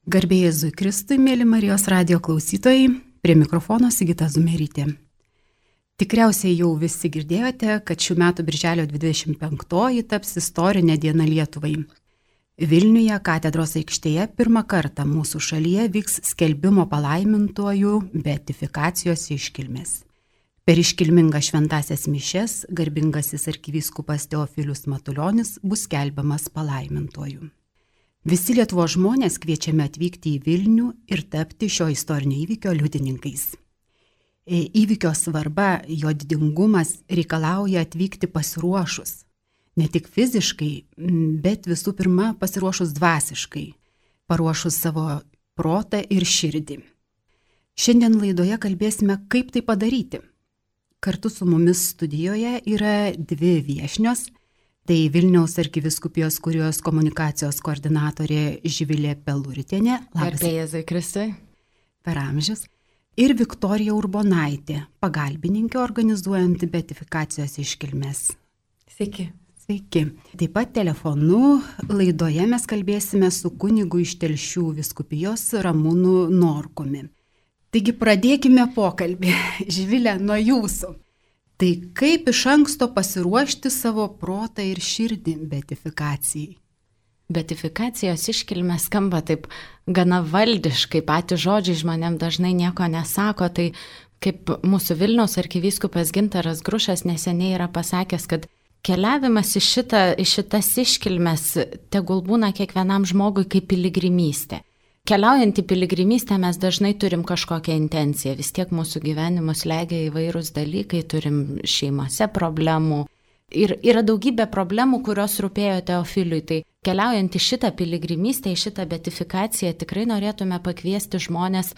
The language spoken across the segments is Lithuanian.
Garbė Jėzui Kristui, mėly Marijos radijo klausytojai, prie mikrofono Sigita Zumerytė. Tikriausiai jau visi girdėjote, kad šių metų birželio 25 taps istorinė diena Lietuvai. Vilniuje katedros aikštėje pirmą kartą mūsų šalyje vyks skelbimo palaimintuojų beatifikacijos iškilmės. Per iškilmingą šventąsias mišias garbingasis arkivyskupas Teofilius Matulionis bus skelbiamas palaimintuoju. Visi Lietuvos žmonės kviečiami atvykti į Vilnių ir tapti šio istorinio įvykio liudininkais. Įvykio svarba, jo didingumas reikalauja atvykti pasiruošus. Ne tik fiziškai, bet visų pirma pasiruošus dvasiškai, paruošus savo protą ir širdį. Šiandien laidoje kalbėsime, kaip tai padaryti. Kartu su mumis studijoje yra dvi viešnios. Tai Vilniaus arkivyskupijos kurijos komunikacijos koordinatorė Živilė Peluritienė. Garbė Jėzui Kristui. Per amžius. Ir Viktorija Urbonaitė, pagalbininkė organizuojant beatifikacijos iškilmes. Sveiki. Sveiki. Taip pat telefonu laidoje mes kalbėsime su kunigu iš Telšių vyskupijos Ramūnu Norkumi. Taigi pradėkime pokalbį. Živilė, nuo jūsų. Tai kaip iš anksto pasiruošti savo protą ir širdį beatifikacijai? Beatifikacijos iškilmė skamba taip gana valdiškai, patys žodžiai žmonėm dažnai nieko nesako, tai kaip mūsų Vilniaus arkivyskupas Gintaras Grušas neseniai yra pasakęs, kad keliavimas į šitas iškilmes tegul būna kiekvienam žmogui kaip piligrimystė. Keliaujant į piligrimystę mes dažnai turim kažkokią intenciją, vis tiek mūsų gyvenimus legia įvairūs dalykai, turim šeimose problemų ir yra daugybė problemų, kurios rūpėjo Teofiliui. Tai keliaujant į šitą piligrimystę, į šitą beatifikaciją tikrai norėtume pakviesti žmonės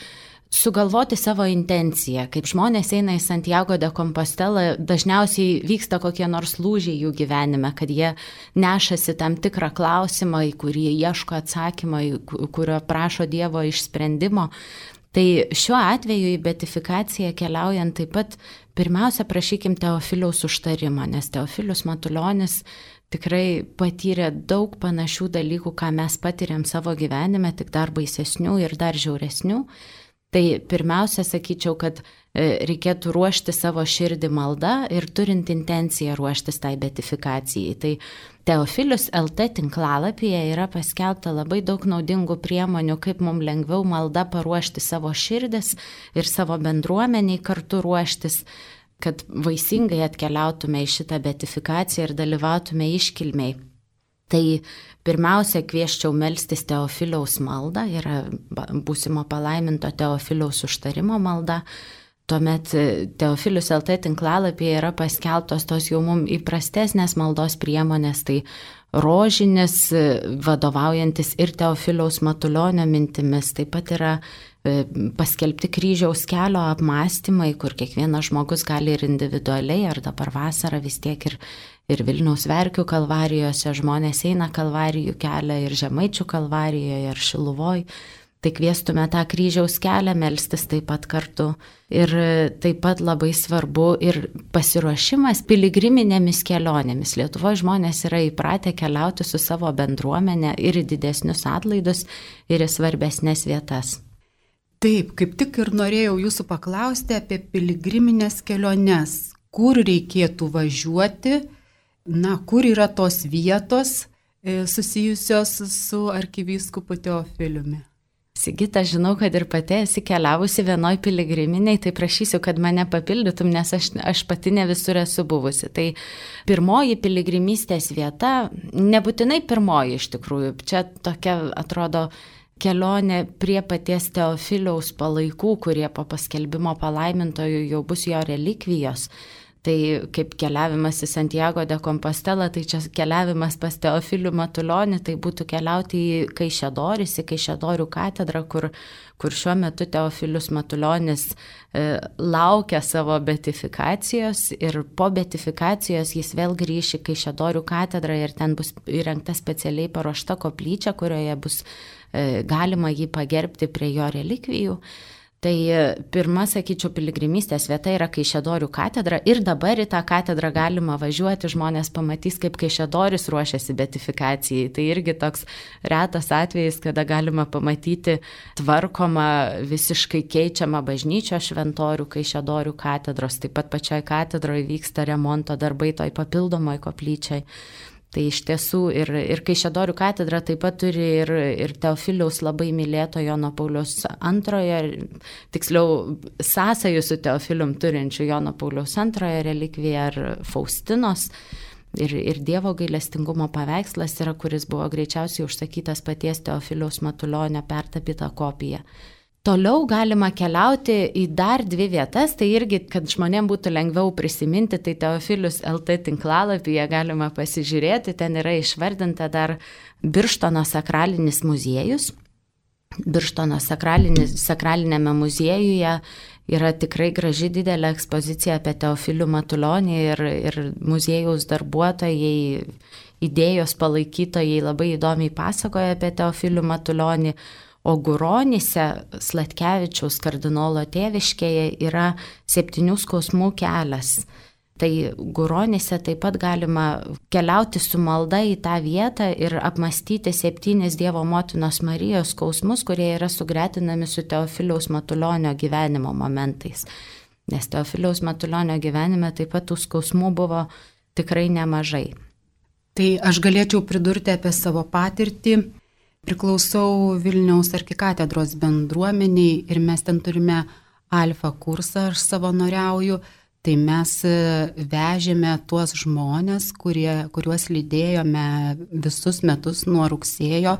sugalvoti savo intenciją. Kaip žmonės eina į Santiago de Compostela, dažniausiai vyksta kokie nors lūžiai jų gyvenime, kad jie nešasi tam tikrą klausimą, į kurį ieško atsakymą, kurio prašo Dievo išsprendimo. Tai šiuo atveju į beatifikaciją keliaujant taip pat pirmiausia prašykim Teofiliaus užtarimo, nes Teofilius Matulionis tikrai patyrė daug panašių dalykų, ką mes patiriam savo gyvenime, tik dar baisesnių ir dar žiauresnių. Tai pirmiausia, sakyčiau, kad reikėtų ruošti savo širdį maldą ir turint intenciją ruoštis tai beatifikacijai. Tai Teofilius LT tinklalapyje yra paskelbta labai daug naudingų priemonių, kaip mums lengviau malda paruošti savo širdis ir savo bendruomeniai kartu ruoštis, kad vaisingai atkeliautume į šitą beatifikaciją ir dalyvautume iškilmei. Tai pirmiausia, kvieščiau melstis Teofiliaus maldą, yra būsimo palaiminto Teofiliaus užtarimo malda. Tuomet Teofilius LT tinklalapyje yra paskelbtos tos jau mums įprastesnės maldos priemonės, tai rožinis, vadovaujantis ir Teofiliaus Matulionio mintimis, taip pat yra paskelbti kryžiaus kelio apmąstymai, kur kiekvienas žmogus gali ir individualiai, ar dabar vasarą vis tiek ir Vilniaus Verkių kalvarijose žmonės eina kalvarijų kelią ir Žemaičių kalvarijoje ir Šiluvoj. Tai kviestume tą kryžiaus kelią melstis taip pat kartu. Ir taip pat labai svarbu ir pasiruošimas piligriminėmis kelionėmis. Lietuvoje žmonės yra įpratę keliauti su savo bendruomenė ir į didesnius atlaidus, ir į svarbesnės vietas. Taip, kaip tik ir norėjau jūsų paklausti apie piligriminės keliones. Kur reikėtų važiuoti, kur yra tos vietos susijusios su arkivyskupu Teofiliumi? Sigita, žinau, kad ir pati esi keliavusi vienoj piligriminiai, tai prašysiu, kad mane papildytum, nes aš pati ne visur esu buvusi. Tai pirmoji piligrimystės vieta, nebūtinai pirmoji iš tikrųjų, čia tokia atrodo kelionė prie paties Teofiliaus palaikų, kurie po paskelbimo palaimintojų jau bus jo relikvijos. Tai kaip keliavimas į Santiago de Compostela, tai čia keliavimas pas Teofilių Matulionį, tai būtų keliauti į Kaišiadoris, į Kaišiadorių katedrą, kur šiuo metu Teofilius Matulionis laukia savo beatifikacijos ir po beatifikacijos jis vėl grįš į Kaišiadorių katedrą ir ten bus įrengta specialiai paruošta koplyčia, kurioje bus galima jį pagerbti prie jo relikvijų. Tai pirma, sakyčiau, piligrimystės vieta yra Kaišiadorių katedra ir dabar į tą katedrą galima važiuoti, žmonės pamatys, kaip Kaišiadoris ruošiasi beatifikacijai. Tai irgi toks retas atvejis, kada galima pamatyti tvarkomą, visiškai keičiamą bažnyčios šventorių Kaišiadorių katedros. Taip pat pačioj katedroje vyksta remonto darbai toj papildomoj koplyčiai. Tai iš tiesų ir Kaišiadorių katedra taip pat turi ir Teofiliaus labai mylėto Jono Pauliaus II, tiksliau sąsajų su Teofilium turinčių Jono Pauliaus II relikviją ar Faustinos. Ir Dievo gailestingumo paveikslas yra, kuris buvo greičiausiai užsakytas paties Teofiliaus Matulionio pertapyta kopija. Toliau galima keliauti į dar 2 vietas, tai irgi, kad žmonėms būtų lengviau prisiminti, tai Teofilius LT tinklalapyje galima pasižiūrėti, ten yra išvardinta dar Birštono sakralinis muziejus. Birštono sakralinėme muziejuje yra tikrai graži didelė ekspozicija apie Teofilių Matulionį ir muziejaus darbuotojai, idėjos palaikytojai labai įdomiai pasakoja apie Teofilių Matulionį. O Guronyse, Sladkevičiaus kardinolo tėviškėje, yra 7 skausmų kelias. Tai Guronyse taip pat galima keliauti su malda į tą vietą ir apmastyti 7 Dievo motinos Marijos skausmus, kurie yra sugretinami su Teofiliaus Matulionio gyvenimo momentais. Nes Teofiliaus Matulionio gyvenime taip pat tų skausmų buvo tikrai nemažai. Tai aš galėčiau pridurti apie savo patirtį. Priklausau Vilniaus arkikatedros bendruomeniai ir mes ten turime alfa kursą, aš savanoriauju, tai mes vežėme tuos žmonės, kuriuos lydėjome visus metus nuo rugsėjo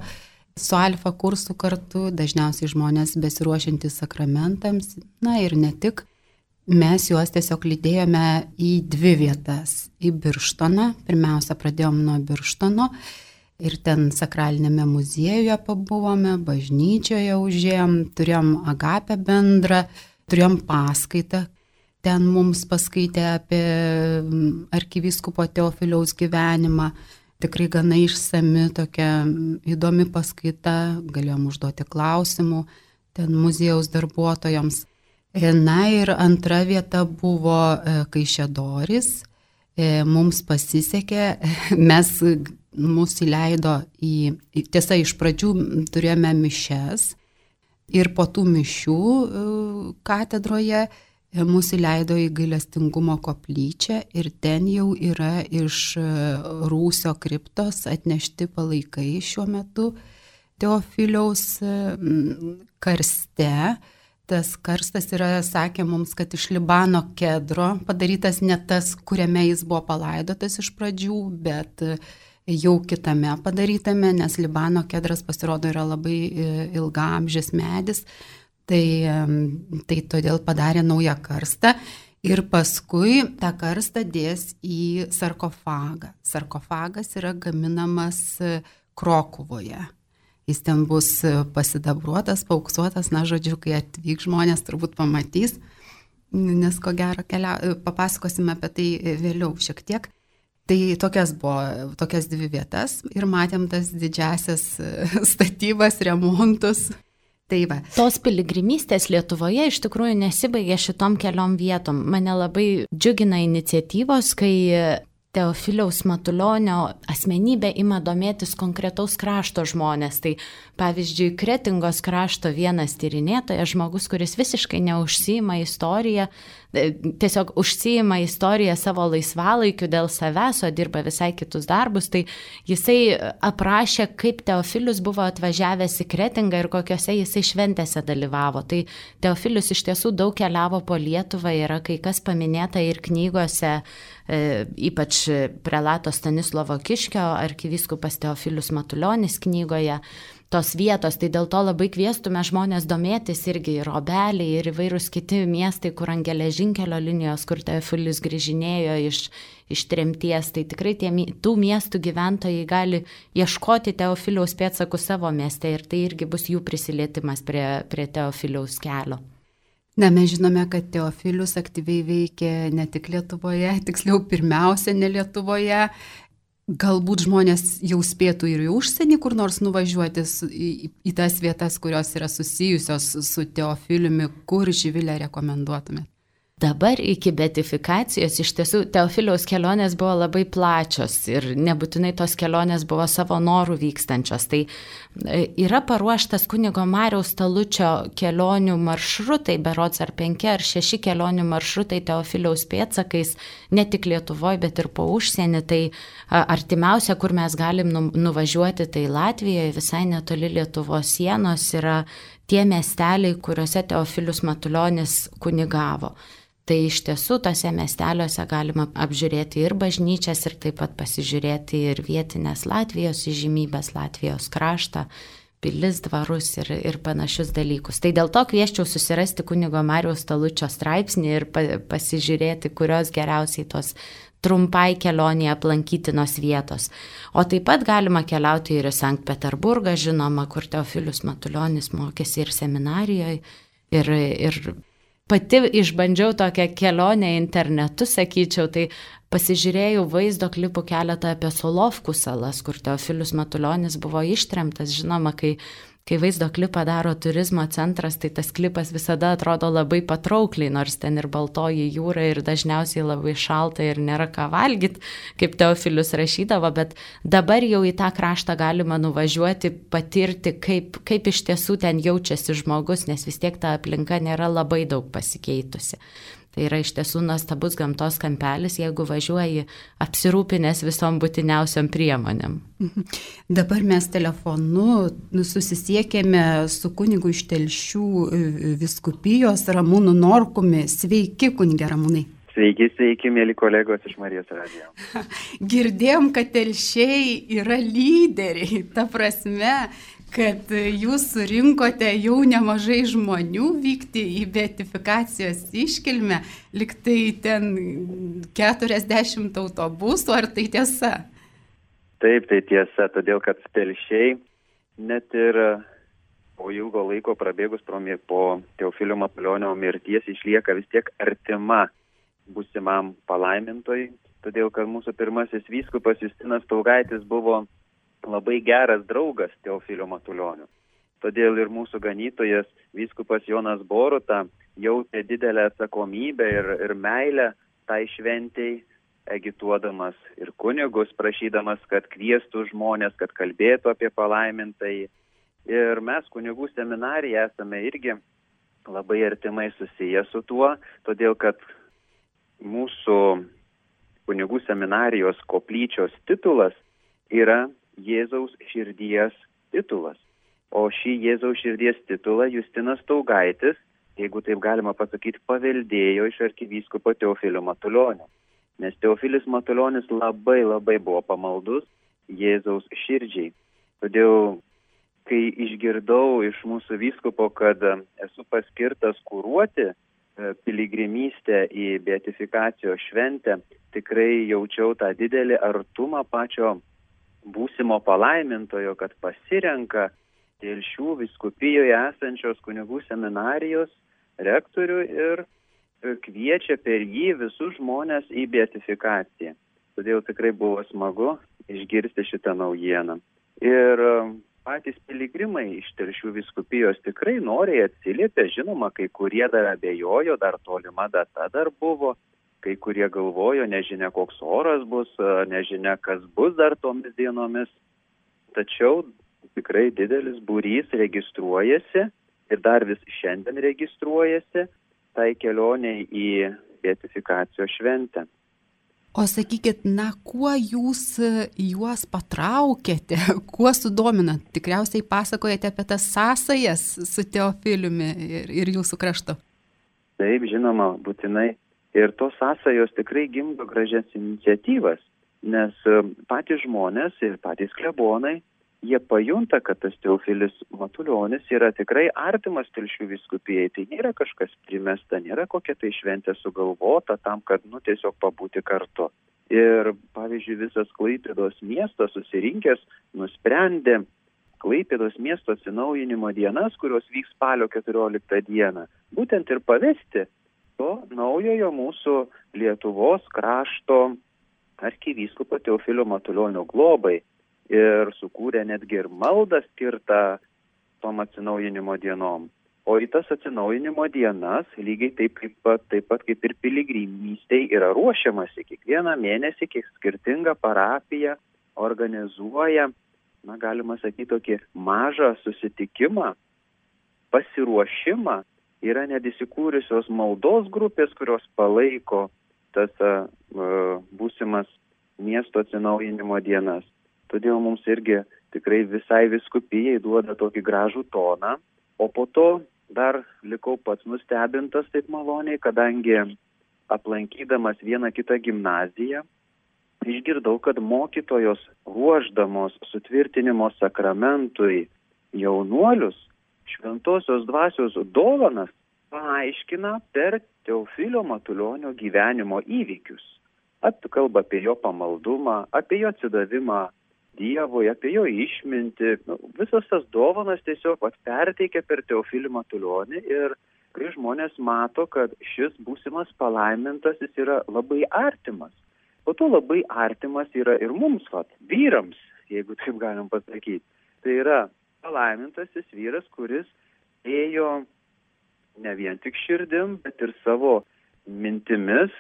su alfa kursu kartu, dažniausiai žmonės besiruošiantys sakramentams, na ir ne tik. Mes juos tiesiog lydėjome į 2 vietas, į Birštoną, pirmiausia pradėjom nuo Birštono. Ir ten sakralinėme muziejuje pabuvome, bažnyčioje užėjom, turėjom agapę bendrą, turėjom paskaitą. Ten mums paskaitė apie arkivyskupo Teofiliaus gyvenimą. Tikrai gana išsami, tokia įdomi paskaita, galėjom užduoti klausimų ten muziejaus darbuotojams. Na ir antra vieta buvo Kaišiadoris. Mums pasisekė, mus įleido tiesa, iš pradžių turėjome mišias ir po tų mišių katedroje mus įleido į gailestingumo koplyčią ir ten jau yra iš Rūsio kriptos atnešti palaikai šiuo metu Teofiliaus karste. Tas karstas yra, sakė mums, kad iš Libano kedro padarytas ne tas, kuriame jis buvo palaidotas iš pradžių, bet jau kitame padarytame, nes Libano kedras pasirodo yra labai ilgaamžis medis, tai todėl padarė naują karstą ir paskui tą karstą dės į sarkofagą. Sarkofagas yra gaminamas Krokuvoje. Jis ten bus pasidabruotas, pauksuotas, na žodžiu, kai atvyk žmonės turbūt pamatys, nes ko gero papasakosime apie tai vėliau šiek tiek. Tai tokias 2 vietas ir matėm tas didžiasias statybas, remontus. Tai va. Tos piligrimystės Lietuvoje iš tikrųjų nesibaigė šitom keliom vietom. Mane labai džiugina iniciatyvos, kai Teofiliaus Matulionio asmenybė ima domėtis konkretaus krašto žmonės. Tai pavyzdžiui, Kretingos krašto vienas tyrinėtojas, žmogus, kuris visiškai neužsiima istoriją, tiesiog užsiima istoriją savo laisvalaikiu dėl savęs, o dirba visai kitus darbus, tai jisai aprašė, kaip Teofilius buvo atvažiavęs į Kretingą ir kokiose jisai šventėse dalyvavo. Tai Teofilius iš tiesų daug keliavo po Lietuvą, yra kai kas paminėta ir knygose, ypač prelato Stanislovo Kiškio, arkivyskupas Teofilius Matulionis knygoje, tos vietos, tai dėl to labai kviestume žmonės domėtis irgi ir Obeliai, ir įvairūs kiti miestai, kur ant geležinkelio linijos, kur Teofilius grįžinėjo iš tremties, tai tikrai tų miestų gyventojai gali ieškoti Teofiliaus pėdsakų savo mieste ir tai irgi bus jų prisilietimas prie Teofiliaus kelio. Na, mes žinome, kad Teofilius aktyviai veikė ne tik Lietuvoje, tiksliau pirmiausia ne Lietuvoje. Galbūt žmonės jau spėtų ir į užsienį kur nors nuvažiuoti į tas vietas, kurios yra susijusios su Teofiliumi, kur, Živilė, rekomenduotumėte? Dabar iki beatifikacijos iš tiesų Teofiliaus kelionės buvo labai plačios ir nebūtinai tos kelionės buvo savo norų vykstančios. Tai yra paruoštas kunigo Mariaus Talučio kelionių maršrutai, berods ar 5 ar 6 kelionių maršrutai Teofiliaus pėdsakais, ne tik Lietuvoje, bet ir po užsienį. Tai artimiausia, kur mes galim nuvažiuoti, tai Latvijoje, visai netoli Lietuvos sienos, yra tie miesteliai, kuriuose Teofilius Matulionis kunigavo. Tai iš tiesų tose miesteliuose galima apžiūrėti ir bažnyčias, ir taip pat pasižiūrėti ir vietinės Latvijos įžymybės, Latvijos kraštą, pilis, dvarus ir panašius dalykus. Tai dėl to kvieščiau susirasti kunigo Mariaus Talučio straipsnį ir pasižiūrėti, kurios geriausiai tos trumpai kelionėje aplankytinos vietos. O taip pat galima keliauti ir į Sankt Peterburgą, žinoma, kur Teofilius Matulionis mokėsi ir seminarijoje, ir pati išbandžiau tokią kelionę internetu, sakyčiau, tai pasižiūrėjau vaizdo klipų keletą apie Solovkų salas, kur Teofilius Matulionis buvo ištremtas. Žinoma, kai vaizdo klipą daro turizmo centras, tai tas klipas visada atrodo labai patraukliai, nors ten ir baltoji jūra ir dažniausiai labai šalta ir nėra ką valgyti, kaip Teofilius rašydavo, bet dabar jau į tą kraštą galima nuvažiuoti, patirti, kaip iš tiesų ten jaučiasi žmogus, nes vis tiek ta aplinka nėra labai daug pasikeitusi. Tai yra iš tiesų nuostabus gamtos kampelis, jeigu važiuoji apsirūpinęs visom būtiniausiom priemonėm. Dabar mes telefonu susisiekėme su kunigu iš Telšių vyskupijos Ramūnu Norkumi. Sveiki, kunige Ramūnai. Sveiki, mėly kolegos iš Marijos radijo. Girdėjom, kad Telšiai yra lyderiai, ta prasme, kad jūs surinkote jau nemažai žmonių vykti į beatifikacijos iškilmę, liktai ten 40 autobusų, ar tai tiesa? Taip, tai tiesa, todėl kad Telšiai net ir po ilgo laiko prabėgus po Teofilio Matulionio mirties išlieka vis tiek artima būsimam palaimintojui, todėl kad mūsų pirmasis vyskupas Justinas Staugaitis buvo labai geras draugas Teofilio Matulionio. Todėl ir mūsų ganytojas vyskupas Jonas Boruta jautė didelę atsakomybę ir meilę tai šventei, agituodamas ir kunigus, prašydamas, kad kviestų žmonės, kad kalbėtų apie palaimintąjį. Ir mes kunigų seminarija esame irgi labai artimai susiję su tuo, todėl kad mūsų kunigų seminarijos koplyčios titulas yra Jėzaus širdies titulas. O šį Jėzaus širdies titulą Justinas Staugaitis, jeigu taip galima pasakyti, paveldėjo iš arkivyskupo Teofilio Matulionio. Nes Teofilis Matulionis labai buvo pamaldus Jėzaus širdžiai. Todėl, kai išgirdau iš mūsų vyskupo, kad esu paskirtas kuruoti piligrimystę į beatifikacijos šventę, tikrai jaučiau tą didelį artumą pačio būsimo palaimintojo, kad pasirenka Telšių vyskupijoje esančios kunigų seminarijos rektorių ir kviečia per jį visus žmonės į beatifikaciją. Todėl tikrai buvo smagu išgirsti šitą naujieną. Ir patys piligrimai iš Telšių vyskupijos tikrai noriai atsiliepė, žinoma, kai kurie dar abejojo, dar tolima data dar buvo. Kai kurie galvojo, nežinia koks oras bus, nežinia kas bus dar tomis dienomis. Tačiau tikrai didelis būrys registruojasi ir dar vis šiandien registruojasi tai kelioniai į beatifikacijos šventę. O sakykit, kuo jūs juos patraukėte, kuo sudominat? Tikriausiai pasakojate apie tas sąsajas su Teofiliumi ir jūsų kraštu. Taip, žinoma, būtinai. Ir tos sąsajos tikrai gimdo gražias iniciatyvas, nes patys žmonės ir patys klebonai, jie pajunta, kad tas Teofilis Matulionis yra tikrai artimas Telšių vyskupijai. Tai nėra kažkas primesta, nėra kokia tai šventė sugalvota tam, kad tiesiog pabūti kartu. Ir pavyzdžiui, visas Klaipėdos miestas susirinkęs nusprendė Klaipėdos miesto atsinaujinimo dienas, kurios vyks spalio 14 dieną, būtent ir pavesti to naujojo mūsų Lietuvos krašto arkivyskupo Teofilio Matulionio globai ir sukūrė netgi ir maldą skirtą tom atsinaujinimo dienom. O į tas atsinaujinimo dienas lygiai taip pat kaip ir piligrimystei yra ruošiamasi. Kiekvieną mėnesį kiek skirtinga parapija organizuoja, galima sakyti, tokį mažą susitikimą, pasiruošimą. Yra net įsikūrusios maldos grupės, kurios palaiko tas būsimas miesto atsinaujinimo dienas. Todėl mums irgi tikrai visai vyskupijai duoda tokį gražų toną, o po to dar likau pats nustebintas taip maloniai, kadangi aplankydamas vieną kitą gimnaziją, išgirdau, kad mokytojos ruošdamos sutvirtinimo sakramentui jaunuolius šventosios dvasios dovanas paaiškina per Teofilio Matulionio gyvenimo įvykius. Kalba apie jo pamaldumą, apie jo atsidavimą Dievui, apie jo išmintį. Visas tas dovanas tiesiog perteikia per Teofilį Matulionį ir kai žmonės mato, kad šis būsimas palaimintas, jis yra labai artimas. Po to labai artimas yra ir mums, vyrams, jeigu taip galim pasakyti. Tai yra palaimintasis vyras, kuris ėjo ne vien tik širdim, bet ir savo mintimis,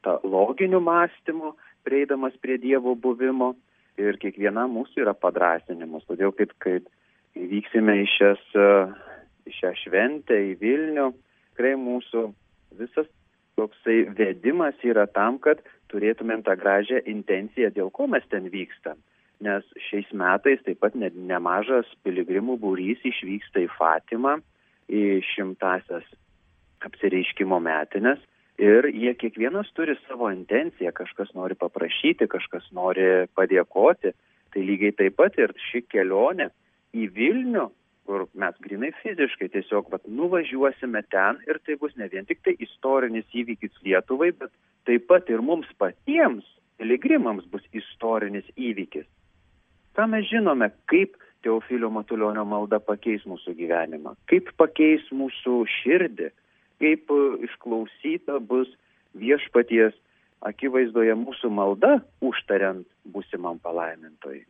tą loginiu mąstymu, prieidamas prie Dievo buvimo. Ir kiekviena mūsų yra padrąsinimas. Todėl, kaip vyksime į šią šventę, į Vilnių, tikrai mūsų visas toksai vedimas yra tam, kad turėtumėm tą gražią intenciją, dėl ko mes ten vykstam. Nes šiais metais taip pat nemažas piligrimų būrys išvyksta į Fatimą, į 100-asias apsireiškimo metines. Ir jie kiekvienas turi savo intenciją, kažkas nori paprašyti, kažkas nori padėkoti. Tai lygiai taip pat ir ši kelionė į Vilnių, kur mes grinai fiziškai tiesiog nuvažiuosime ten ir tai bus ne vien tik tai istorinis įvykis Lietuvai, bet taip pat ir mums patiems, piligrimams, bus istorinis įvykis. Ką mes žinome, kaip Teofilio Matulionio malda pakeis mūsų gyvenimą, kaip pakeis mūsų širdį, kaip išklausyta bus viešpaties akivaizdoje mūsų malda, užtariant būsimam palaimintojui.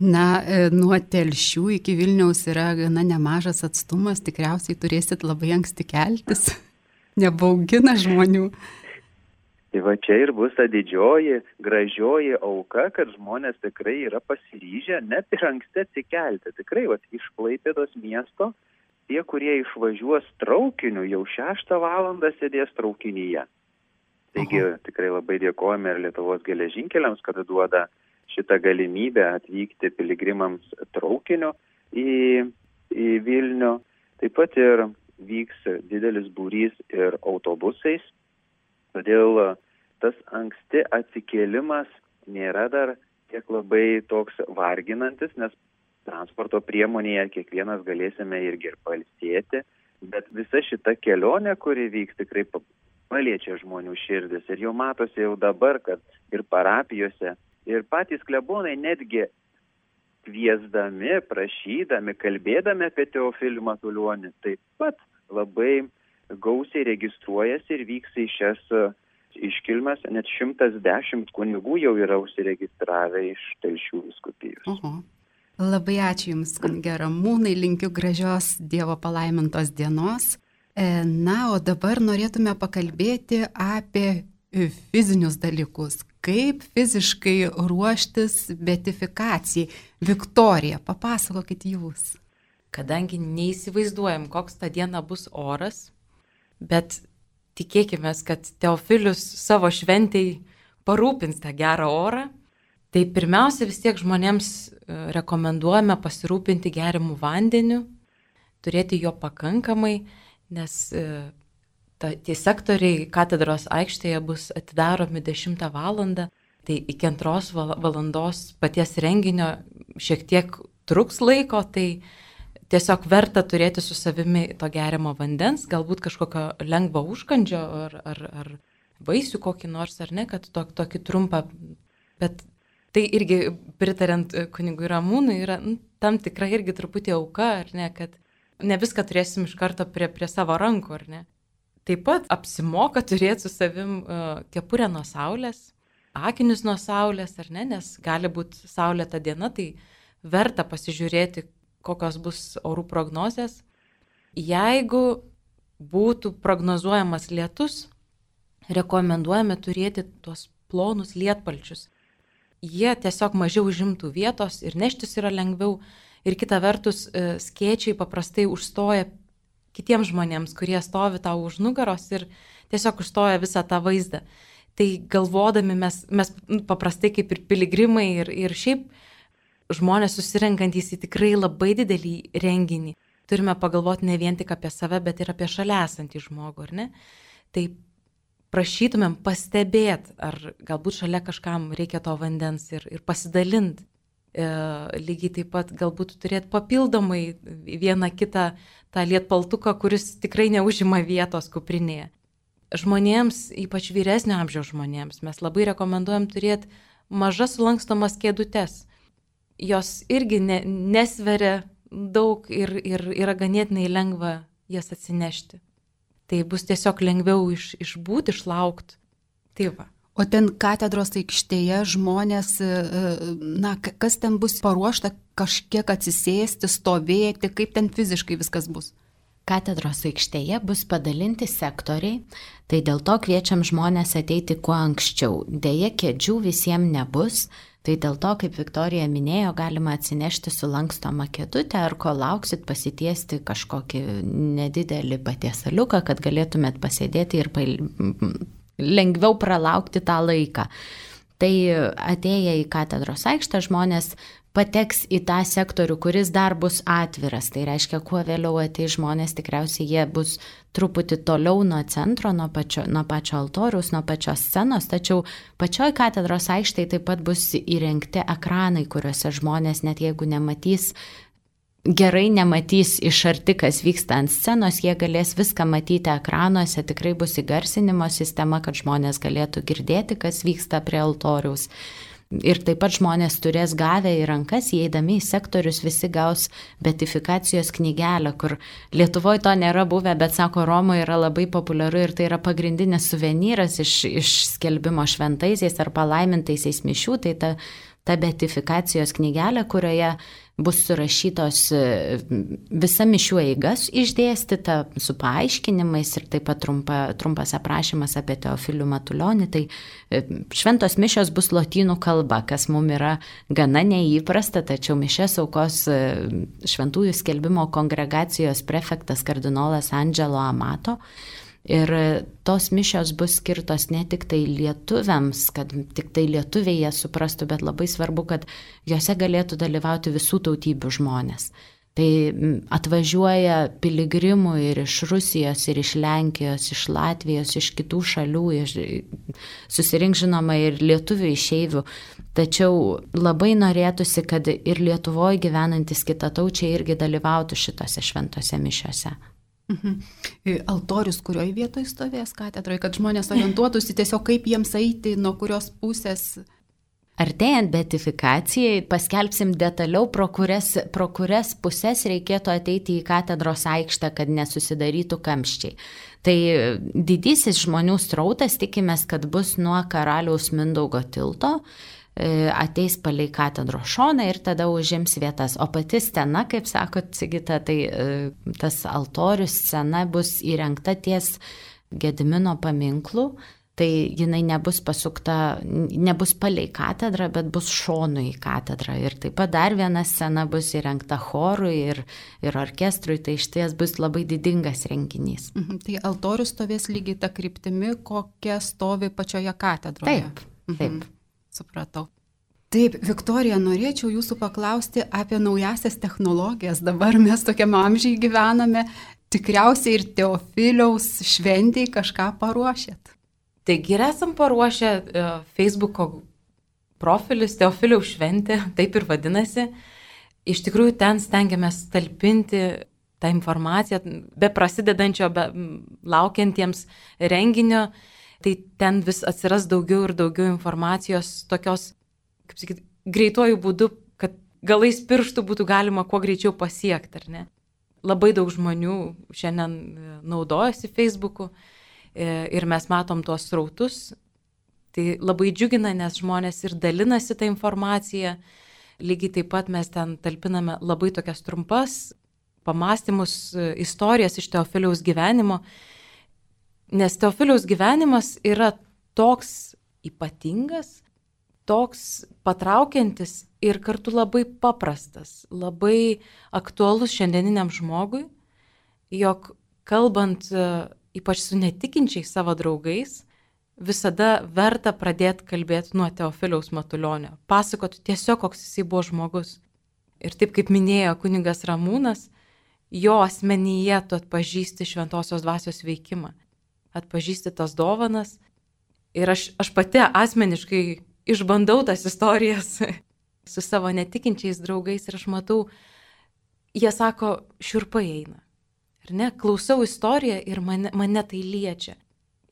Nuo Telšių iki Vilniaus yra gana nemažas atstumas, tikriausiai turėsit labai anksti keltis, nebaugina žmonių. Tai čia ir bus ta didžioji, gražioji auka, kad žmonės tikrai yra pasiryžę net ir anksti atsikelti. Tikrai iš Klaipėdos miesto tie, kurie išvažiuos traukiniu, jau 6 valandą sėdės traukinyje. Taigi tikrai labai dėkojame ir Lietuvos geležinkeliams, kad duoda šitą galimybę atvykti piligrimams traukiniu į Vilnių. Taip pat ir vyks didelis būrys ir autobusais. Todėl tas anksti atsikėlimas nėra dar tiek labai toks varginantis, nes transporto priemonėje kiekvienas galėsime irgi ir pailsėti, bet visa šita kelionė, kuri vyks, tikrai paliečia žmonių širdis. Ir jau matosi jau dabar, kad ir parapijose, ir patys klebonai netgi kviesdami, prašydami, kalbėdami apie Teofilį Matulionį, taip pat labai gausiai registruojasi ir vyks į šias iškilmes. Net 110 kunigų jau yra užsiregistravę iš Telšių vyskupijos. Labai ačiū Jums, kunige Ramūnai, linkiu gražios Dievo palaimintos dienos. O dabar norėtume pakalbėti apie fizinius dalykus. Kaip fiziškai ruoštis beatifikacijai. Viktorija, papasakokit Jūs. Kadangi neįsivaizduojam, koks tą dieną bus oras, bet tikėkime, kad Teofilius savo šventei parūpins tą gerą orą, tai pirmiausia vis tiek žmonėms rekomenduojame pasirūpinti geriamų vandeniu, turėti jo pakankamai, nes tie sektoriai katedros aikštėje bus atidaromi 10 valandą, tai iki 2 valandos paties renginio šiek tiek truks laiko, tai tiesiog verta turėti su savimi to geriamo vandens, galbūt kažkokio lengvo užkandžio ar vaisių kokį nors, ar ne, kad tokį trumpą, bet tai irgi pritariant kunigui Ramūnui yra tam tikra irgi truputį auka, ar ne, kad ne viską turėsim iš karto prie savo rankų, ar ne. Taip pat apsimoka turėti su savim kepurę nuo saulės, akinius nuo saulės, ar ne, nes gali būti saulėta diena, tai verta pasižiūrėti, kokios bus orų prognozės. Jeigu būtų prognozuojamas lietus, rekomenduojame turėti tuos plonus lietpalčius. Jie tiesiog mažiau užimtų vietos ir neštis yra lengviau. Ir kita vertus, skėčiai paprastai užstoja kitiems žmonėms, kurie stovi tau už nugaros ir tiesiog užstoja visą tą vaizdą. Tai galvodami mes paprastai kaip ir piligrimai ir šiaip žmonės susirenkantys į tikrai labai didelį renginį. Turime pagalvoti ne vien tik apie save, bet ir apie šalia esantį žmogų, ar ne? Tai prašytumėm pastebėti, ar galbūt šalia kažkam reikia to vandens ir pasidalinti. Lygiai taip pat galbūt turėti papildomai vieną kitą tą lietpaltuką, kuris tikrai neužima vietos kuprinėje. Žmonėms, ypač vyresnio amžiaus žmonėms, mes labai rekomenduojam turėti mažas sulankstomas kėdutes. Jos irgi nesveria daug ir yra ganėtinai lengva jas atsinešti. Tai bus tiesiog lengviau išbūti, išlaukti. Tai va. O ten katedros aikštėje žmonės, kas ten bus paruošta, kažkiek atsisėsti, stovėti, kaip ten fiziškai viskas bus? Katedros aikštėje bus padalinti sektoriai, tai dėl to kviečiam žmonės ateiti kuo anksčiau. Deja, kėdžių visiems nebus, tai dėl to, kaip Viktorija minėjo, galima atsinešti sulankstomą kėdutę, ar kol lauksit pasitiesti kažkokį nedidelį patiesaliuką, kad galėtumėt pasėdėti ir lengviau pralaukti tą laiką. Tai atėję į katedros aikštę žmonės pateks į tą sektorių, kuris dar bus atviras. Tai reiškia, kuo vėliau ateis žmonės, tikriausiai jie bus truputį toliau nuo centro, nuo pačio altoriaus, nuo pačios scenos, tačiau pačioj katedros aikštėje taip pat bus įrengti ekranai, kuriuose žmonės, net jeigu gerai nematys iš arti, kas vyksta ant scenos, jie galės viską matyti ekranuose, tikrai bus įgarsinimo sistema, kad žmonės galėtų girdėti, kas vyksta prie altoriaus. Ir taip pat žmonės turės gavę į rankas, įeidami į sektorius, visi gaus beatifikacijos knygelę, kur Lietuvoje to nėra buvę, bet sako, Romoje yra labai populiaru ir tai yra pagrindinis suvenyras iš skelbimo šventaisiais ar palaimintaisiais mišių, tai ta beatifikacijos knygelė, kurioje bus surašytos visa mišių eigas išdėstyta su paaiškinimais ir taip pat trumpas aprašymas apie Teofilių Matulionį. Tai šventos mišios bus lotynų kalba, kas mums yra gana neįprasta, tačiau mišias aukos šventųjų skelbimo kongregacijos prefektas kardinolas Angelo Amato. Ir tos mišios bus skirtos ne tik tai lietuviams, kad tik tai lietuviai jas suprastų, bet labai svarbu, kad jose galėtų dalyvauti visų tautybių žmonės. Tai atvažiuoja piligrimų ir iš Rusijos, ir iš Lenkijos, iš Latvijos, iš kitų šalių, susirink žinoma ir lietuvių išeivių. Tačiau labai norėtųsi, kad ir Lietuvoje gyvenantis kitataučiai irgi dalyvautų šitose šventose mišiose. Altorius kurioje vietoje stovės katedroje, kad žmonės orientuotųsi tiesiog kaip jiems eiti, nuo kurios pusės? Artėjant beatifikacijai paskelbsim detaliau, pro kurias pusės reikėtų ateiti į katedros aikštę, kad nesusidarytų kamščiai. Tai didysis žmonių srautas tikimės, kad bus nuo Karaliaus Mindaugo tilto, ateis palei katedros šoną ir tada užims vietas. O pati scena, kaip sakot, Sigita, tai tas altorius scena bus įrengta ties Gedimino paminklu, tai jinai nebus pasukta, nebus palei katedrą, bet bus šonu į katedrą. Ir taip pat dar viena scena bus įrengta chorui ir orkestrui, tai išties bus labai didingas renginys. Tai altorius stovės lygiai tą kryptimi, kokia stovi pačioje katedroje. Taip. Supratau. Taip, Viktorija, norėčiau jūsų paklausti apie naujasias technologijas. Dabar mes tokiam amžiai gyvename. Tikriausiai ir Teofiliaus šventėj kažką paruošėt. Taigi ir esam paruošę Facebook'o profilis Teofiliaus šventė, taip ir vadinasi. Iš tikrųjų, ten stengiamės talpinti tą informaciją, be prasidedančio, be laukiantiems renginio. Tai ten vis atsiras daugiau ir daugiau informacijos tokios, kaip sakyt, greituoju būdu, kad galais pirštų būtų galima kuo greičiau pasiekti, ar ne? Labai daug žmonių šiandien naudojasi Facebook'u ir mes matom tuos srautus. Tai labai džiugina, nes žmonės ir dalinasi tą informaciją. Lygiai taip pat mes ten talpiname labai tokias trumpas pamąstymus, istorijas iš Teofiliaus gyvenimo. Nes Teofiliaus gyvenimas yra toks ypatingas, toks patraukiantis ir kartu labai paprastas, labai aktualus šiandieniniam žmogui, jog kalbant ypač su netikinčiais savo draugais, visada verta pradėti kalbėti nuo Teofiliaus Matulionio, pasakoti tiesiog, koks jisai buvo žmogus. Ir taip kaip minėjo kunigas Ramūnas, jo asmenyje tu atpažįsti šventosios dvasios veikimą, atpažįsti tas dovanas. Ir aš pati asmeniškai išbandau tas istorijas su savo netikinčiais draugais ir aš matau, jie sako, šiurpai eina. Ir ne, klausau istoriją ir mane tai liečia.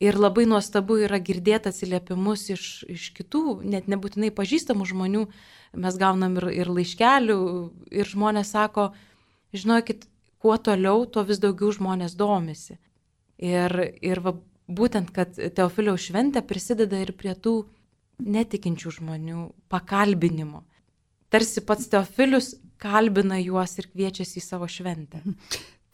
Ir labai nuostabu yra girdėti atsiliepimus iš kitų, net nebūtinai pažįstamų žmonių. Mes gaunam ir laiškelių ir žmonės sako, žinokit, kuo toliau, tuo vis daugiau žmonės domisi. Ir būtent, kad Teofiliaus šventė prisideda ir prie tų netikinčių žmonių pakalbinimo. Tarsi pats Teofilius kalbina juos ir kviečiasi į savo šventę.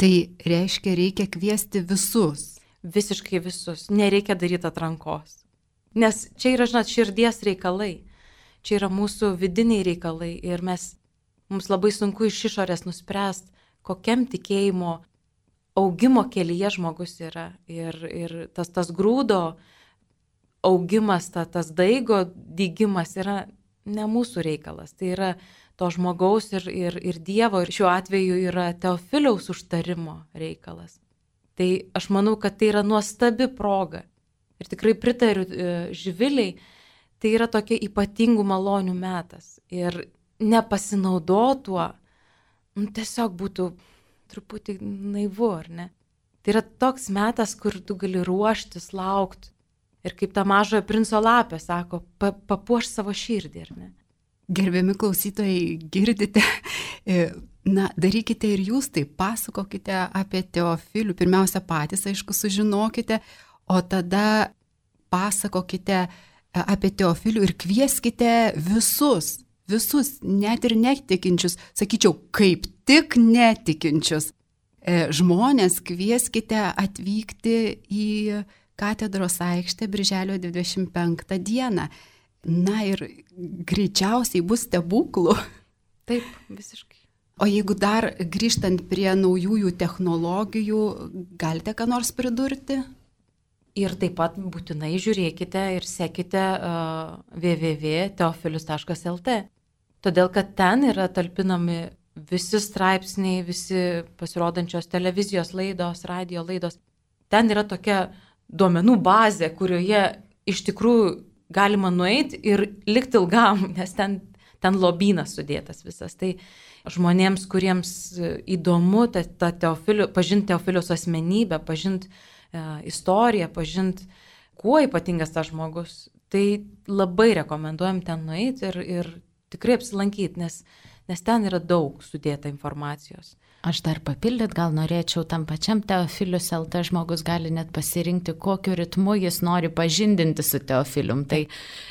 Tai reiškia, reikia kviesti visus. Visiškai visus. Nereikia daryti atrankos. Nes čia yra, žinot, širdies reikalai. Čia yra mūsų vidiniai reikalai ir mums labai sunku iš išorės nuspręsti, kokiam tikėjimo augimo kelyje žmogus yra. Ir tas grūdo augimas, tas daigo dygimas yra ne mūsų reikalas. Tai yra to žmogaus ir Dievo, ir šiuo atveju yra Teofiliaus užtarimo reikalas. Tai aš manau, kad tai yra nuostabi proga. Ir tikrai pritariu Živiliai, tai yra tokia ypatingų malonių metas. Ir nepasinaudotuo, tiesiog būtų truputį naivu, ar ne? Tai yra toks metas, kur tu gali ruoštis, laukti. Ir kaip ta mažojo princo lapė sako, papuoš savo širdį, ar ne? Gerbiami klausytojai, girdite, darykite ir jūs tai, pasakokite apie Teofilių, pirmiausia patys, aišku, sužinokite, o tada pasakokite apie Teofilių ir kvieskite visus, net ir netikinčius, sakyčiau, kaip tik netikinčius žmonės kvieskite atvykti į katedros aikštę birželio 25 dieną. Na ir greičiausiai bus stebuklų. Taip, visiškai. O jeigu dar grįžtant prie naujųjų technologijų, galite ką nors pridurti? Ir taip pat būtinai žiūrėkite ir sekite www.teofilius.lt. Todėl, kad ten yra talpinami visi straipsniai, visi pasirodančios televizijos laidos, radio laidos. Ten yra tokia duomenų bazė, kurioje iš tikrųjų galima nueiti ir likti ilgam, nes ten lobynas sudėtas visas. Tai žmonėms, kuriems įdomu pažinti Teofiliaus asmenybę, pažinti istoriją, pažinti, kuo ypatingas tas žmogus, tai labai rekomenduojam ten nueiti ir tikrai apsilankyti, nes ten yra daug sudėta informacijos. Aš dar papildyt gal norėčiau, tam pačiam Teofilius LT žmogus gali net pasirinkti, kokiu ritmu jis nori pažindinti su Teofilium. Tai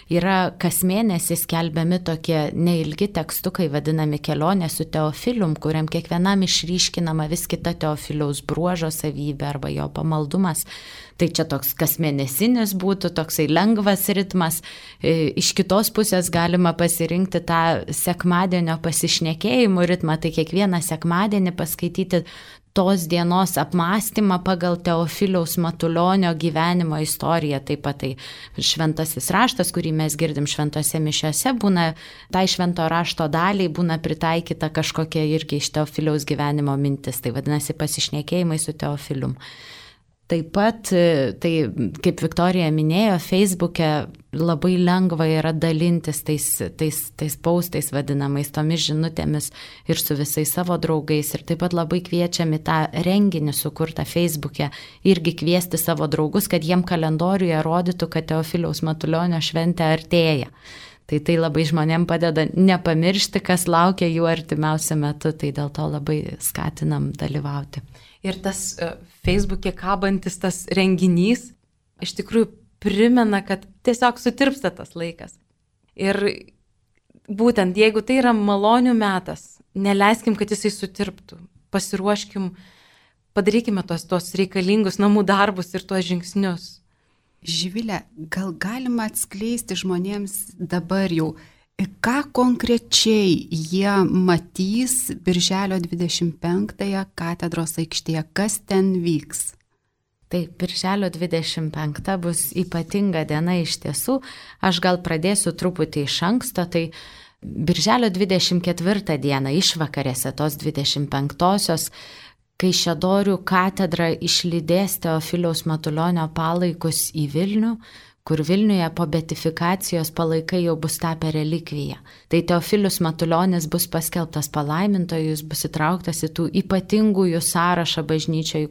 yra kas mėnesį skelbiami tokie neilgi tekstukai, vadinami kelionė su Teofilium, kuriam kiekvienam išryškinama vis kita Teofiliaus bruožo savybė arba jo pamaldumas. Tai čia toks kasmėnesinis būtų, toksai lengvas ritmas. Iš kitos pusės galima pasirinkti tą sekmadienio pasišnekėjimų ritmą, tai kiekvieną sekmadienį paskaityti tos dienos apmąstymą pagal Teofiliaus Matulionio gyvenimo istoriją. Taip pat tai šventasis raštas, kurį mes girdim šventose mišiose, būna tai švento rašto daliai būna pritaikyta kažkokia irgi iš Teofiliaus gyvenimo mintis. Tai vadinasi pasišnekėjimai su Teofilium. Taip pat, tai kaip Viktorija minėjo, Facebook'e labai lengva yra dalintis tais postais vadinamais, tomis žinutėmis ir su visais savo draugais. Ir taip pat labai kviečiami tą renginį sukurtą Facebook'e irgi kviesti savo draugus, kad jiem kalendoriuje rodytų, kad Teofiliaus Matulionio šventė artėja. Tai labai žmonėm padeda nepamiršti, kas laukia jų artimiausiu metu, tai dėl to labai skatinam dalyvauti. Ir tas Facebook'e kabantis tas renginys iš tikrųjų primena, kad tiesiog sutirpsta tas laikas. Ir būtent, jeigu tai yra malonių metas, neleiskim, kad jisai sutirptų. Pasiruoškim, padarykime tos reikalingus namų darbus ir tuos žingsnius. Živilė, gal galima atskleisti žmonėms dabar jau, ką konkrečiai jie matys Birželio 25-ąją katedros aikštėje, kas ten vyks? Tai Birželio 25 bus ypatinga diena iš tiesų. Aš gal pradėsiu truputį iš anksto. Tai Birželio 24 dieną išvakarėse tos 25-osios Kaišiadorių katedra išlydės Teofiliaus Matulionio palaikus į Vilnių, kur Vilniuje po beatifikacijos palaikai jau bus tapę relikvija. Tai Teofilius Matulionis bus paskelbtas palaimintoju, jis bus įtrauktas į tų ypatingųjų sąrašą bažnyčioje,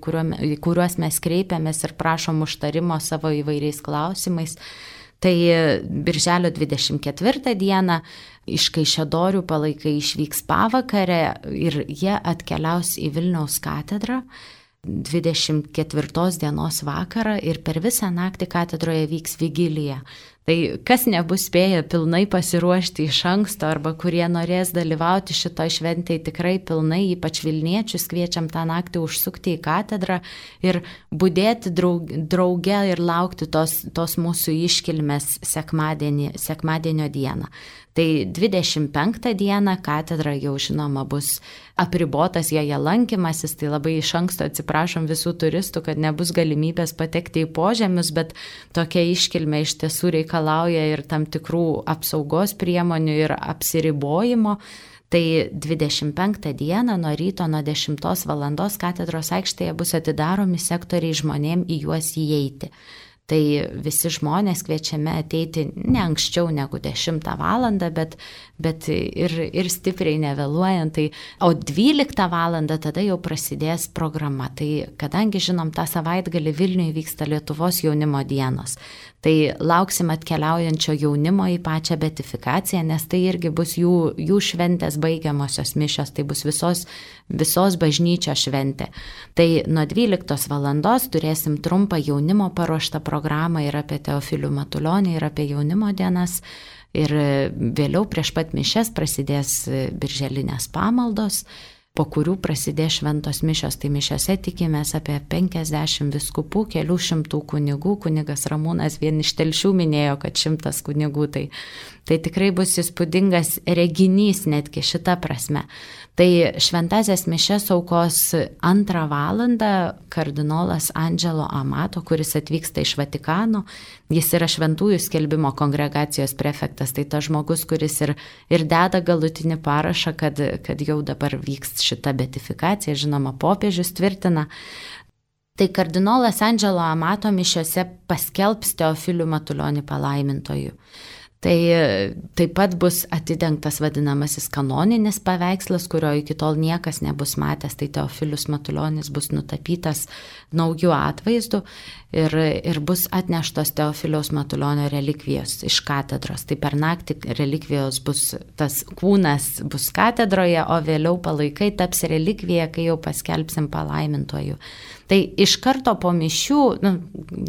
į kuriuos mes kreipiamės ir prašom užtarimo savo įvairiais klausimais. Tai Birželio 24 dieną iš Kaišiadorių palaikai išvyks pavakarę ir jie atkeliaus į Vilniaus katedrą 24 dienos vakarą ir per visą naktį katedroje vyks vigilija. Tai kas nebus spėję pilnai pasiruošti iš anksto arba kurie norės dalyvauti šitoj šventėje tikrai pilnai, ypač Vilniečius, kviečiam tą naktį užsukti į katedrą ir budėti drauge ir laukti tos mūsų iškilmės sekmadienio dieną. Tai 25 dieną katedra jau žinoma bus apribotas joje lankymasis, tai labai iš anksto atsiprašom visų turistų, kad nebus galimybės patekti į požemius, bet tokia iškilmė iš tiesų reikalauja ir tam tikrų apsaugos priemonių ir apsiribojimo. Tai 25 dieną nuo ryto nuo 10 valandos katedros aikštėje bus atidaromi sektoriai žmonėm į juos įeiti. Tai visi žmonės kviečiami ateiti ne anksčiau negu 10 valandą, bet ir stipriai nevėluojant. O 12 valandą tada jau prasidės programa. Tai kadangi žinom, tą savaitgalį Vilniuje vyksta Lietuvos jaunimo dienos, tai lauksim atkeliaujančio jaunimo į pačią beatifikaciją, nes tai irgi bus jų šventės baigiamosios mišios, tai bus visos bažnyčios šventė. Tai nuo 12 valandos turėsim trumpą jaunimo paruoštą programą ir apie Teofilių Matulionį, ir apie jaunimo dienas. Ir vėliau prieš pat mišias prasidės birželinės pamaldos, po kurių prasidės šventos mišios. Tai mišiose tikimės apie 50 vyskupų, kelių šimtų kunigų. Kunigas Ramūnas vien iš Telšių minėjo, kad 100 kunigų. Tai tikrai bus įspūdingas reginys netgi šita prasme. Tai šventasias mišias aukos 2 valandą kardinolas Angelo Amato, kuris atvyksta iš Vatikano. Jis yra šventųjų skelbimo kongregacijos prefektas. Tai tas žmogus, kuris ir deda galutinį parašą, kad jau dabar vyks šita beatifikacija, žinoma, popiežius tvirtina. Tai kardinolas Angelo Amato mišiose paskelbs Teofilių Matulionį palaimintoju. Tai taip pat bus atidengtas vadinamasis kanoninis paveikslas, kurio iki tol niekas nebus matęs. Tai Teofilius Matulionis bus nutapytas naujų atvaizdų ir bus atneštos Teofiliaus Matulionio relikvijos iš katedros. Tai per naktį relikvijos tas kūnas bus katedroje, o vėliau palaikai taps relikvija, kai jau paskelbsim palaimintoju. Tai iš karto po mišių,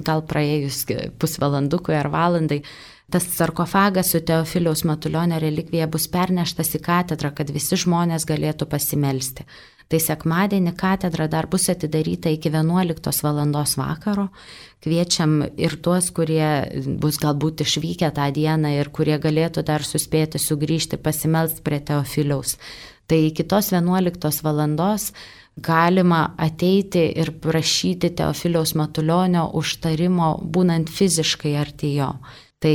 gal praėjus pusvalandukui ar valandai, tas sarkofagas su Teofiliaus Matulionio relikvija bus perneštas į katedrą, kad visi žmonės galėtų pasimelsti. Tai sekmadienį katedra dar bus atidaryta iki 11 valandos vakaro. Kviečiam ir tuos, kurie bus galbūt išvykę tą dieną ir kurie galėtų dar suspėti sugrįžti pasimelsti prie Teofiliaus. Tai iki tos 11 valandos galima ateiti ir prašyti Teofiliaus Matulionio užtarimo, būnant fiziškai arti jo. Tai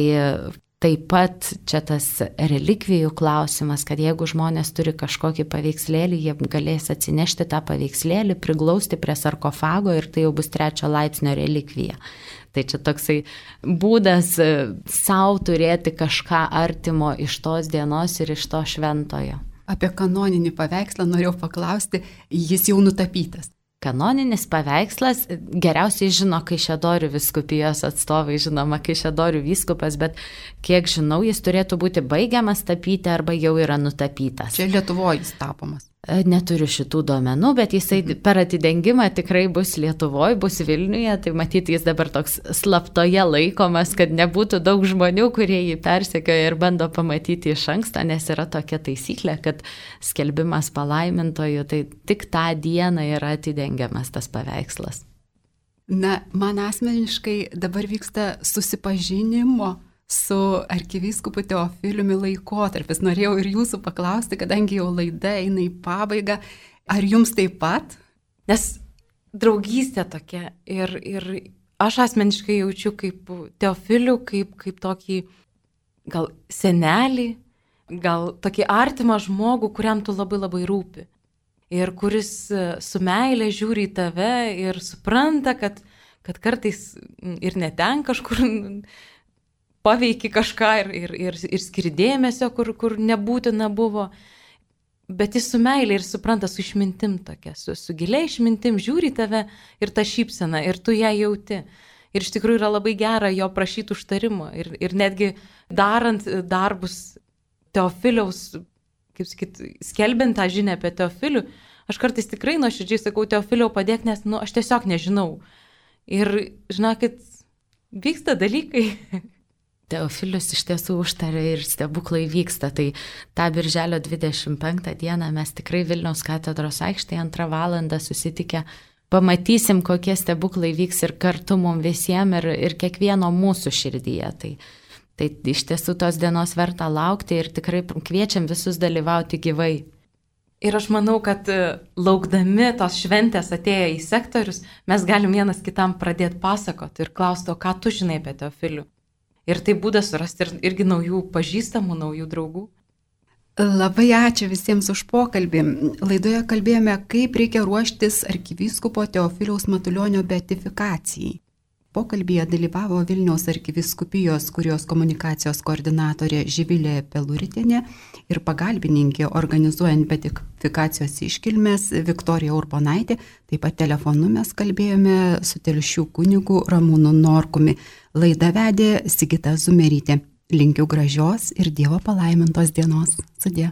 taip pat čia tas relikvijų klausimas, kad jeigu žmonės turi kažkokį paveikslėlį, jie galės atsinešti tą paveikslėlį, priglausti prie sarkofago ir tai jau bus 3 laipsnio relikvija. Tai čia toksai būdas savo turėti kažką artimo iš tos dienos ir iš to šventojo. Apie kanoninį paveikslą norėjau paklausti, jis jau nutapytas. Kanoninis paveikslas geriausiai žino Kaišiadorių vyskupijos atstovai, žinoma, Kaišiadorių vyskupas, bet kiek žinau, jis turėtų būti baigiamas tapyti arba jau yra nutapytas. Čia Lietuvoje jis tapomas. Neturiu šitų duomenų, bet jisai per atidengimą tikrai bus Lietuvoje, bus Vilniuje, tai matyti jis dabar toks slaptoje laikomas, kad nebūtų daug žmonių, kurie jį persekioja ir bando pamatyti iš anksto, nes yra tokia taisyklė, kad skelbimas palaimintojų, tai tik tą dieną yra atidengiamas tas paveikslas. Na, man asmeniškai dabar vyksta susipažinimo su arkivyskupu Teofiliumi laikotarpis. Norėjau ir jūsų paklausti, kadangi jau laida eina į pabaigą, ar jums taip pat? Nes draugystė tokia ir aš asmeniškai jaučiu kaip Teofilių, kaip tokį gal senelį, gal tokį artimą žmogų, kuriam tu labai labai rūpi. Ir kuris su meile žiūri į tave ir supranta, kad kartais ir neten kažkur paveiki kažką ir skiri dėmesio, kur nebūtina buvo, bet jis su meilė ir supranta, su išmintim tokia, su gilia išmintim žiūri tave ir ta šypsena, ir tu ją jauti. Ir iš tikrųjų yra labai gera jo prašyti užtarimo. Ir netgi darant darbus Teofiliaus, kaip sakyt, skelbiant tą žinią apie Teofilių, aš kartais tikrai nuoširdžiai sakau, Teofiliau padėk, nes aš tiesiog nežinau. Ir žinokit, vyksta dalykai. Teofilius iš tiesų užtarė ir stebuklai vyksta, tai tą birželio 25 dieną mes tikrai Vilniaus katedros aikštėje 2 valandą susitikę pamatysim, kokie stebuklai vyks ir kartu mums visiems ir kiekvieno mūsų širdyje. Tai iš tiesų tos dienos verta laukti ir tikrai kviečiam visus dalyvauti gyvai. Ir aš manau, kad laukdami tos šventės atėję į sektorius, mes galim vienas kitam pradėti pasakoti ir klausti, o ką tu žinai apie Teofilių. Ir tai būdas surasti irgi naujų pažįstamų, naujų draugų. Labai ačiū visiems už pokalbį. Laidoje kalbėjome, kaip reikia ruoštis arkivyskupo Teofiliaus Matulionio beatifikacijai. Pokalbyje dalyvavo Vilniaus arkivyskupijos kurijos komunikacijos koordinatorė Živilė Peluritienė ir pagalbininkė organizuojant beatifikacijos iškilmes Viktorija Urbonaitė. Taip pat telefonu mes kalbėjome su Telšių kunigu Ramūnu Norkumi. Laidą vedė Sigita Zumerytė. Linkiu gražios ir Dievo palaimintos dienos. Sudie.